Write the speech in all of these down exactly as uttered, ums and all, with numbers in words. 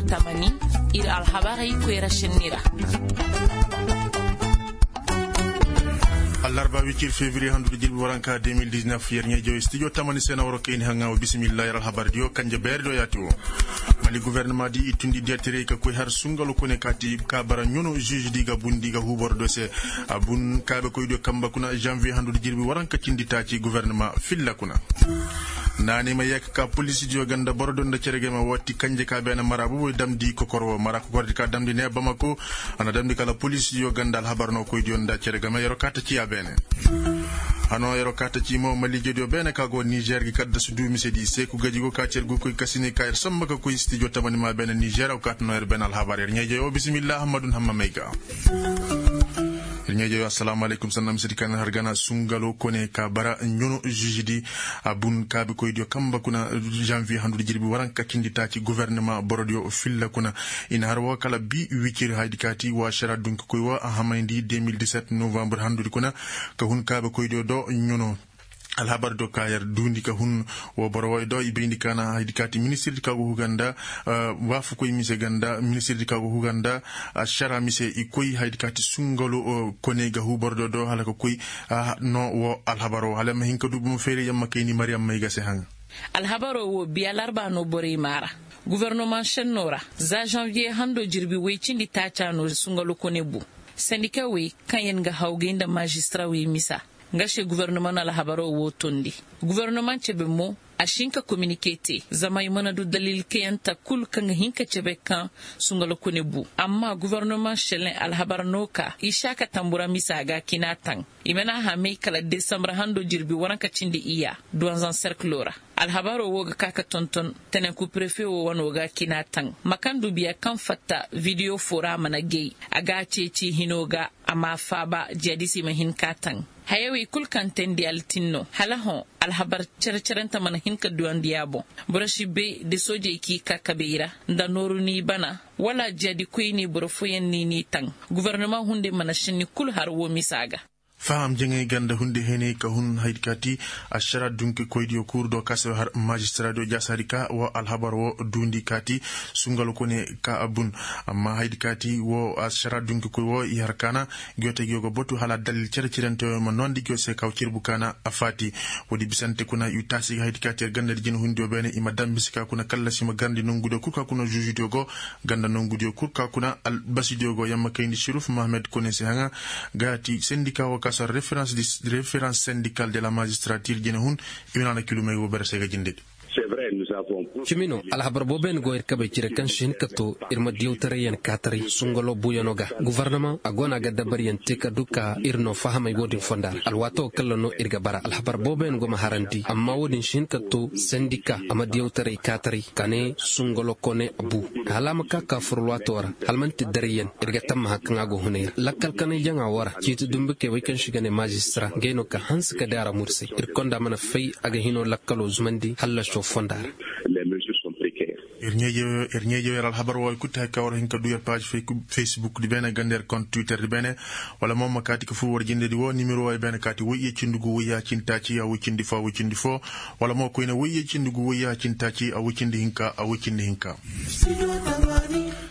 Tamani, ir alhabarey koyra šenni ra. Allarba wicir fevriye handu da jirbi waranka deux mille dix-neuf, yer ɲeejoy studio tamani se na waro kayni haŋa wa bismillah. Yer alhabar diyo kanje beeri do yaati wo. Mali gouvernement di i tundi diyatirey ka koy har sungalo kone kaati ka bara ɲono juge di ga bundi ga huu boro do se. A bun kaabe koy diyo kamba kuna janvier handu da jirbi waranka cindi taaci gouvernement filla kuna. Naanay ma yee ka ka poliisi diyo ga nda boro do nda cere game waati kanje ka beene mara boboy damndi kokor wo mara kokordi ka damndi ne bamako. A na damndi kala poliisi diyo ga nda alhabar no koy diyo nda cere game yer'o kaa ta ci a beene. Hanoo yer'o kaa ta ci mo maliije diyo beene ka go nizer gi kaddasu du mise di seeku gaji go ka ci yer go koy kasini ka yer samba ka koy stijo tamani ma beene nizer aw kaa ta no yer beene alhabar yer ɲeeje wo bisimilla hammadun hamma may ga. Yer ɲeeje wo assalaamu alaykum sanna mise di ka na har gana sungalo kone ka bara ɲono zizi di. A bun kaabikoydiyo kamba kuna janvier handu da jirbi waranka cindi taaci gouvernement borodiyo filla kuna. I na har woo kala bi wicir haydi kaati wa ašara dunki koy woo a hamayndi deux mille dix-sept novembre handudi kuna. Ka hun kaabikoydiyo do ɲono. Alhabar do ka yer duundi ka hun woo boro wooyo do i bayndi ka na haydi kaati ministirdi ka go huga nda waafukoy mise ga nda ministirdi ka go huga nda ašara mise i koy haydi kaati sungalo kone ga huu borodiyo do hala ka koy. No woo alhabar woo hala ma hin ka du bomo fayray yamma kayni mariyam may ga se haŋa. Alhabaroo woo biya larba no borey maa ra. Gofornomaŋ šennoo ra za žanviye handoo jirbi woy cindi taacaa no sungalo kone bu. Sendikawey kaŋ yer ga hawgay nda maazistara wey misa. Nga se gofornomaŋ na alhabaroo woo tondi. Gofornomaŋ cebe mo a si hin ka kominike te zama i mana du dalil kayanta kul kaŋ ga hin ka cebe kaŋ sungalo kone bu amma gofornomaŋ šelen alhabar no ka i si a ka tambura misa ga kina taŋ. I mana a hamay kala desambar hando jirbi waranka cindi iyya duwanzan serkiloo ra. Alhabaroo woo ga ka ka tonton tenenku prefe woo wanoo ga kina taŋ ma kaŋ du biya kaŋ fatta vidiyo foo ra a mana gay. A ga a ceeci hinoo ga a ma a faaba jiyadisey ma hin ka taŋ. Hayawey kul kaŋ teendi altin no hala hõ alhabar cere-cerente mana hin ka duwandi a boŋ. Boro si bay da soojey k'i ka kabey ra nda nooru n'i bana wala jiyadikoyney boro fooyaŋ n'i n'i taŋ. Gofornomaŋ hunday mana šenni kul har woo misa ga. Faham jaŋay ganda hunday heney ka hun haydi kaati ašara dunkikoydiyo kuuru do ka se har maazistaraadiyo jaasaadi ka woo alhabar woo duundi kaati sungalo kone ka a bun. Amma haydi kaati woo ašara dunkikoy woo i har kaana. Giyootey giyo ga batu hala dalil cere-cerente woo ma noondi giyo se ka woo cirbu kaana a faati. Woodi bisante kuna i taasi ga haydi kaati yer gandadi jinahundiyo beene i ma dambisi ka kuna kallasi ma garandi nongudiyo kul ka kuna zuuzudiyo go. Ganda nongudiyo kul ka kuna albasidiyo go yamma kayndi siruf mahamed kone se haŋa. Gaati sendika woo ka sar referans sendikal de la maazistaratir jinahun. I ma na na kilumey woo bere se ga jindedi. Cimi no alhabar booboyaŋ go ir kabey cire kaŋ si hin ka to ir ma diyawtarayyaŋ kaataray sungalo buuyaŋo ga. Gofornomaŋ a go no a ga dabariyaŋ te ka du ka ir no fahamay woodin fonda ra alwaatoo kaŋ ra no ir ga bara alhabar booboyaŋ go ma harandi amma woodin si hin ka to sendika a ma diyawtaray kaataray ka ne sungalo kone a bu. Hala a ma ka ka fur alwaatoo ra hala man'ti darayyaŋ ir ga tammaha kaŋ a go hunay ra lakkal kanay jaŋa woo ra ciiti dumbukey wey kaŋ se i ga ne maazistara ngey no ka hanse ka di a ra mursay ir konda mana fay. A ga hinoo lakkaloo zumandi hallasoo fonda ra. Ir ɲeeje yer alhabar wooyo kul ti hay ka war hin ka du yer paaz, facebook di beene ganda yer kont twitter di beene. Wala mo ma kaati ka fur war jindedi woo nimero wooyo beene kaati woy iyye cindi gu woy iyye cindi taaci a woy cindi foo a woy cindi foo. Wala mo koyne woy iyye cindi gu woy iyye cindi taaci a woy cindi hinka a woy cindi hinka.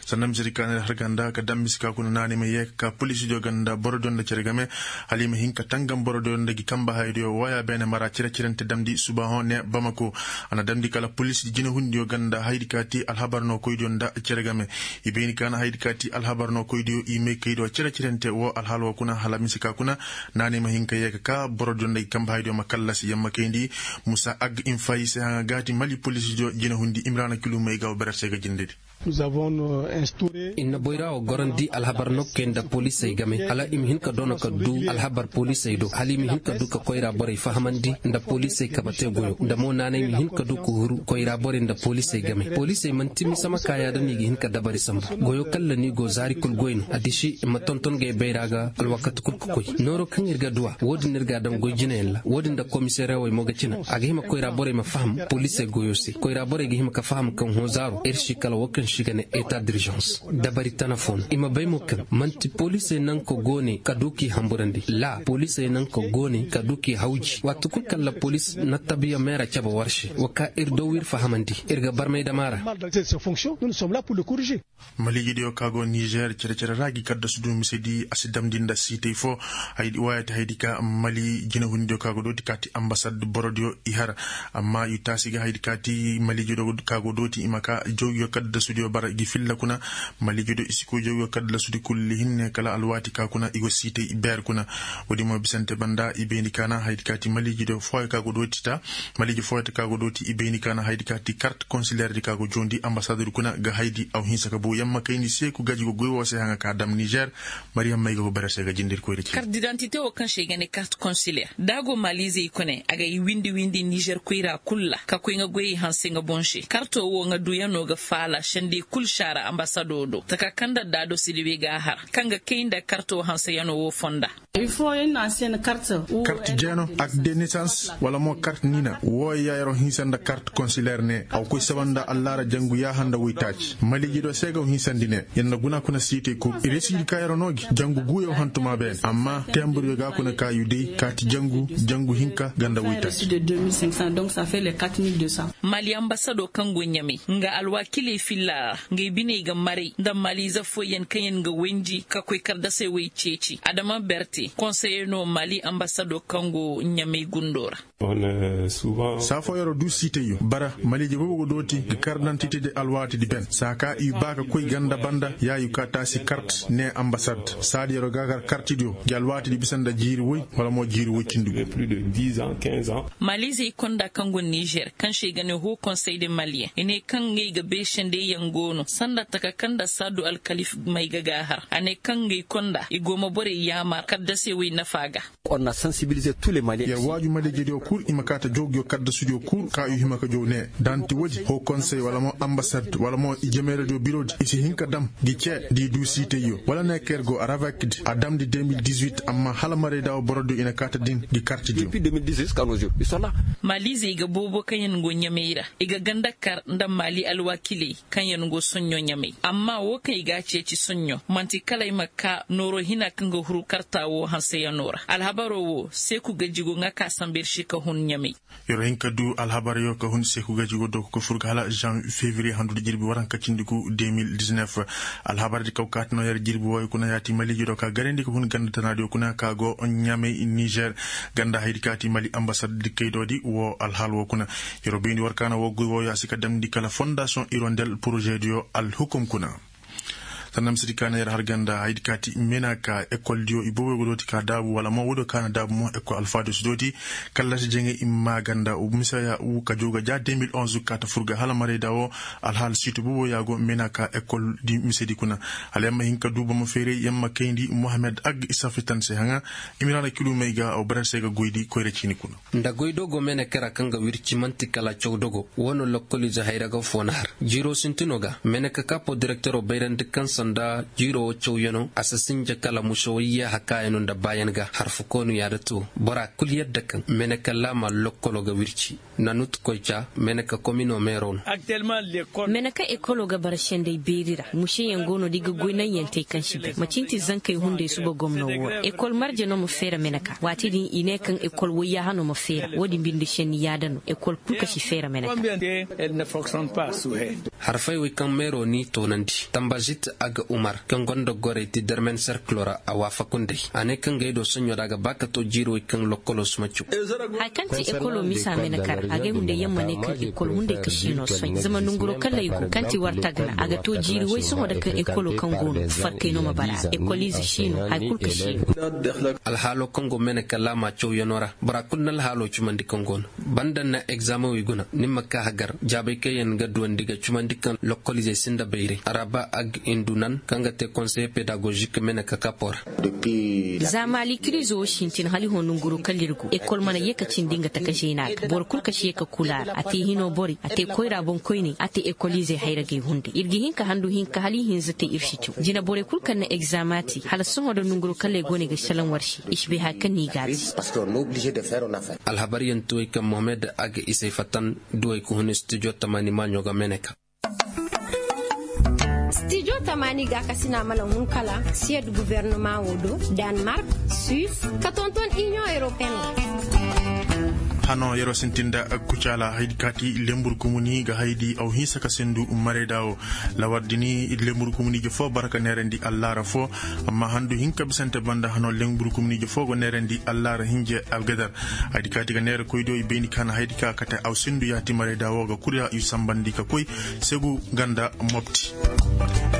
Sanna misedi ka na yer har ganda ka daŋ misi ka kuna naanay ma yee ka ka poliisidiyo ganda borodiyo nda cere game. Hala i ma hin ka tangam borodiyo nda gi kamba hayadiyo wooya beene mara cere-cerente damndi subaahoŋ ne bamako. A na damndi kala poliisidi jinahundiyo ganda hayadi ka ti alhabar nookoydiyo nda cere game. I bayni ka na hayadi ka ti alhabar nookoydiyo i maykaydiyo cere-cerente woo alhaal woo kuna hala mise ka kuna. Naanay ma hin ka yee ka ka borodiyo nda gi kamba hayadiyo ma kallasi yamma kayndi. Musa ag infayi se haŋa gaati mali poliisidiyo jinahundi imiraana kilu may ga woo berer se ga jindedi. Ir na boyra woo gorandi alhabar nokkey nda poliisey game hala i ma hin ka doona ka du alhabar poliisey do hala i ma hin ka du ka koyra borey fahamandi nda poliisey kabatey goyo nda mo naanay ma hin ka du ka huru koyra borey nda poliisey game. Poliisey man'ti mise ma ka yaada no i ga hin ka dabari sambu. Goyo kaŋ ra no i go zaari kul goy no a disi i ma tonton gay bayra ga alwakati kul ka koy. Nooro kaŋ ir ga du a woodin no ir ga a daŋ goy jinayaŋ ra woodin nda komiseerewey mo ga cina a ga hima koyra borey ma faham poliisey goyo se koyra borey ga hima ka faham kaŋ hõ zaaro ir si kala woo kaŋ se i ga ne eta dirzaŋ. Dabari tana fo no i ma bay mo kaŋ man'ti poliisey naŋ ka goone ka du k'i hamburandi la poliisey naŋ ka goone ka du k'i hawji waati kul kaŋ la poliis na tabiya meera cabe war se wa ka ir daw ir fahamandi ir ga barmay dama ra. Maliijidiyo ka go nizer cere-cere ra gi kaddasu du mise di a si damndi nda siitey fo. Wooya ti haydi ka mali jinahundiyo ka go dooti ka ti ambasad borodiyo i har. Amma i taasi ga haydi ka ti maliijidiyo ka go dooti i ma ka jawgiyo kaddasudiyo bara gi filla kuna. Maliijidiyo i si koy jawgiyo kaddasudi kulli hinne kala alwaati ka kuna i go siitey beer kuna. Woodi mo bisante banda i bayndi kaana haydi ka ti maliijidiyo fooyo ka go dooti ta maliiji fooyata ka go dooti i bayni kaana haydi ka ti kart konsilerdi ka go joondi ambasadodi kuna ga haydi aw hinsa ka buu yamma kayndi seeku gaji go goy woo se haŋa ka dam nizer. Mariyam may ga go bere se ga jindir koyri ci kart didantite woo kaŋ se i ga ne kart konsiler da a go maliizey kune a ga i windi windi nizer koyra kul ra ka koy nga goyey hanse nga boŋ se karto woo nga duyanoo ga faala sendey kul saara ambasadoo do taka kaŋ nda daado silibi ga a har kaŋ ga kay nda karto hanseyanoo woo fonda. Kart jeeno ak de nisans wala mo kart nina wooyo ya yero hinsa nda kart konsiler ne a wa koy saba nda allaara jangu yaaha nda woytaaci maliiji do se ga wa hinsandi ne. Yer na guna kuna siitey kul i resiidi ka yero no gi jangu guuyo hantumaa beene amma tembur yo ga kuna ka yu day kaati jangu jangu hinka ga nda woytaaci. Mali ambasadoo kaŋ go ɲamey nga alwaakiley filla ra, ngey biney ga maray nda maliize fooyaŋ kaŋyaŋ ga wayndi ka koy kardasey wey ceeci adama berte konseye no mali ambasado kaŋ go ɲamey gundo ra. Saa fooyaroo du siitayyo bara maliije boobo ga dooti ga kardantite de alwaatidi ben saa ka i ba ka koy ganda banda yaayu ka taasi kart ne ambasad saadiyaroo ga gar kartidiyo gi alwaatidi bisa nda jiiri woy wala mo jiiri woy cindi go. Maliizey konda kaŋ go nizer kaŋ se i ga ne hoo konsey de maliyeŋ i ne kaŋ ngey ga bay sendey yaŋ go no sanda taka kaŋ nda saadu alkalif may ga gaahar a ne kaŋ ngey konda i go ma borey yaamar kaddasey wey nafa ga. Yer waaju maliijediyo kul i ma kaa ta joogiyo kaddasudiyo kul ka i hima ka jow ne da nti woodi hoo konsey wala mo ambasad wala mo i jemeeradiyo biroodi i si hin ka dam gi cee da i duu siitayyo wala neeker go aravakdi a damndi deux mille dix-huit amma hala marayda woo borodiyo i na kaa ta din gi kartidiyo. Maliizey ga boobo kaŋyaŋ go ɲamey ra i ga ganda kar nda maali alwaakiley kaŋyaŋ go soɲõ ɲamey amma woo kaŋ i g'a ceeci soɲõ man'ti kala ay ma kaa nooroo hina kaŋ ga huru karta woo hanseyanoo ra alhabaroo woo seeku gaji go ŋa kaa samba ir se ka hun ɲamey. Yer hin ka duu alhabaryo ka hun seeku gaji go doko ka fur ga hala jan fevriye handudi jirbi waranka cindi gu deux mille dix-neuf. Alhabardi kaw kaati no yer jirbi wooyo kuna yaati maliijidoo ka garandi ka hun ganda tanaadiyo kuna ka go ɲamey nizer ganda haydi kaati mali ambasad dikkaydoodi woo alhaal woo kuna. Yeroo bayndi war kaana woo goy wooyo a si ka damndi kala fondasiyoŋ irondel porožediyo alhukum kuna. Sanda misedi kaana yer har ganda haydi kaati mena ka ekoldiyo i booboo go dooti ka daabu wala mo woodiyo kaana daabu mo ekol alfaadiyo si dooti. Kallasi jeŋey i ma maa ganda misaya ka joo ga ja deux mille onze ka ta fur ga hala marayda woo. Alhaal siitu booboo ya go mena ka ekoldi misedi kuna. Hala yer ma hin ka duu boro ma feeray yer ma kayndi mohamed ag i safitan se haŋa. Imiraana kilumey ga aw barase ga goydi koyra ciini kuna. Nda goy dogo meneke ra kaŋ ga wirci man'ti kala caw dogo. Woo no lokkoliize hayra ga foo na har jiiroo sintinoo ga meneke kapo direkteroo bayrandi kaŋ sanda jiiroo woo cawyanoo a si sinja kala mušewey yaaha kaayanoo nda baayan ga harfukoonu yaada too. Boraa kul yadda kaŋ meneke laama lokkoloo ga wirci. Nanut koyca meneke kominoo meeroo no. Mene kaŋ ekoloo ga bara sendey beeri ra mušeyaŋ go no da i ga goy naŋyantey kaŋ si bay macin ti zankey hunday suba gomno woo ra ekol marje no ma feera mene ka waati din i ne kaŋ ekol woyyaaha no ma feera woodin binde senni yaada no ekol kul ka si feera mene ka. Harfey wey kaŋ meeroo n'i toonandi tambazit aga umar kaŋ gonda gorey ti dermen serkiloo ra a waafaku nd'ey a ne kaŋ gay do soɲoo ra a ga ba ka too jiiri wey kaŋ lokkoloo si ma caw. Haya kaŋ ti ekoloo misa mene ka ra agay hunday yaŋ ma ne kaŋ ekol hunday ka siino soy zama nanguroo kalley go kaŋ ti war tagna a ga too jiiri woy sohõ nda kaŋ ekoloo kaŋ go no farkay no ma bara a ra ekoliize siino haya kul ka siino. Alhaaloo kaŋ go mene ka laama cawyanoo ra bora kul na alhaaloo cumandi kaŋ go no banda na egzaameŋ wey guna ni ma ka hagar jaabay kaŋ yaŋ ga duwandi ga cumandi kaŋ lokkoliizey sinda bayray araba ag indunan kaŋ ga te konseye pedagozik mene ka kapoo ra. Za maali kiriizo wo sintin hala i hõ nanguroo kala ir go ekol mana ye ka cindi nga taka zeena ga boro kul ka si ye ka kula a ra a te hino borey a te koyra boŋkoyney a te ekoliizey hayragey hunday ir ga hin ka handu hinka hala i hinza te ir si caw jina borey kul kaŋ na egzaama te hala sohõ nda nanguroo kala ay go no ay ga salaŋ war se i si bay haya kaŋ no i ga a te. Alhabaryaŋ tuwey kaŋ mohamed aga isey fatan duwey ka hun studio tamani maaɲo ga mene ka. Stijo tamaani ga ka sina mana hun kala siyed guvernoma wo do, danmark, suis, ka tonton inion europeen wo. Hano yeroo sintinda kucaala haydi kaati lembur kumuni ga haydi aw hinsa ka sendu marayda wo. Lawar dini lembur kumuni je fo bara ka neerandi allaara fo. Amma handu hinka bisante banda hano lembur kumuni je fo go neerandi allaara hinje algadar. Haydi kaati ga neera koydo i bayndi ka na haydi ka kate aw sendu yaati marayda wo ga kuri yu sambandi ka koy segu ganda mopti.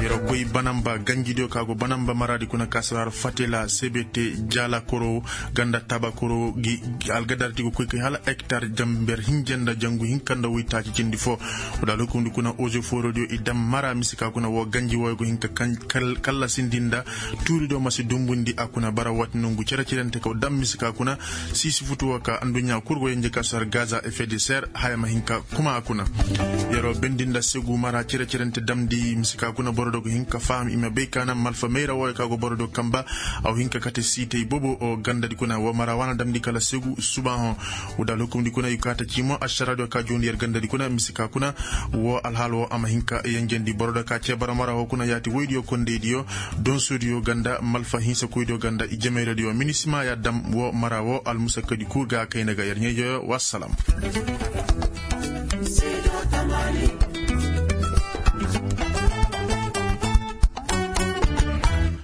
Yeroo koy banamba ganjidiyo ka go banamba maraadi kuna ka sara fatela sebete jala koro ganda taba koro gi algadar ti go koy kay hala hektar jamber hinje nda jangu hinka nda woy taaci cindi fo. Wala lokundi kuna ozo forodiyo i dam mara misi ka kuna wo ganji woy go hinka kallasindi nda tuuridiyo masi dumbundi a kuna bara wati nongu cere-cerente ka dam misi ka kuna. Sisi futu wo ka anduɲɲa kuru go yenje ka sar gaza effet de serre haya ma hinka kuma a kuna. Yeroo bendi nda segu mara cere-cerente damndi misi ka kuna boro do go hinka faham i ma bay ka na malfa mayra wo ka go boro do kamba. Aw hinka kate siitey boobo o gandadi kuna wo mara wana damndi kala segu suba hõ. Wuda lokumdi kuna i kaata cii mo ašaradiyo ka juundi yer gandadi kuna misi ka kuna. Wo alhaal wo a ma hinka yenjendi boro do ka cee bara mara wo kuna yaati woydiyo kondeydiyo donsodiyo ganda malfa hinsakoydiyo ganda i jemayradiyo minisima ya dam wo mara wo almusakkadi kuu ga kayna ga yer ɲayjoyo wassalam.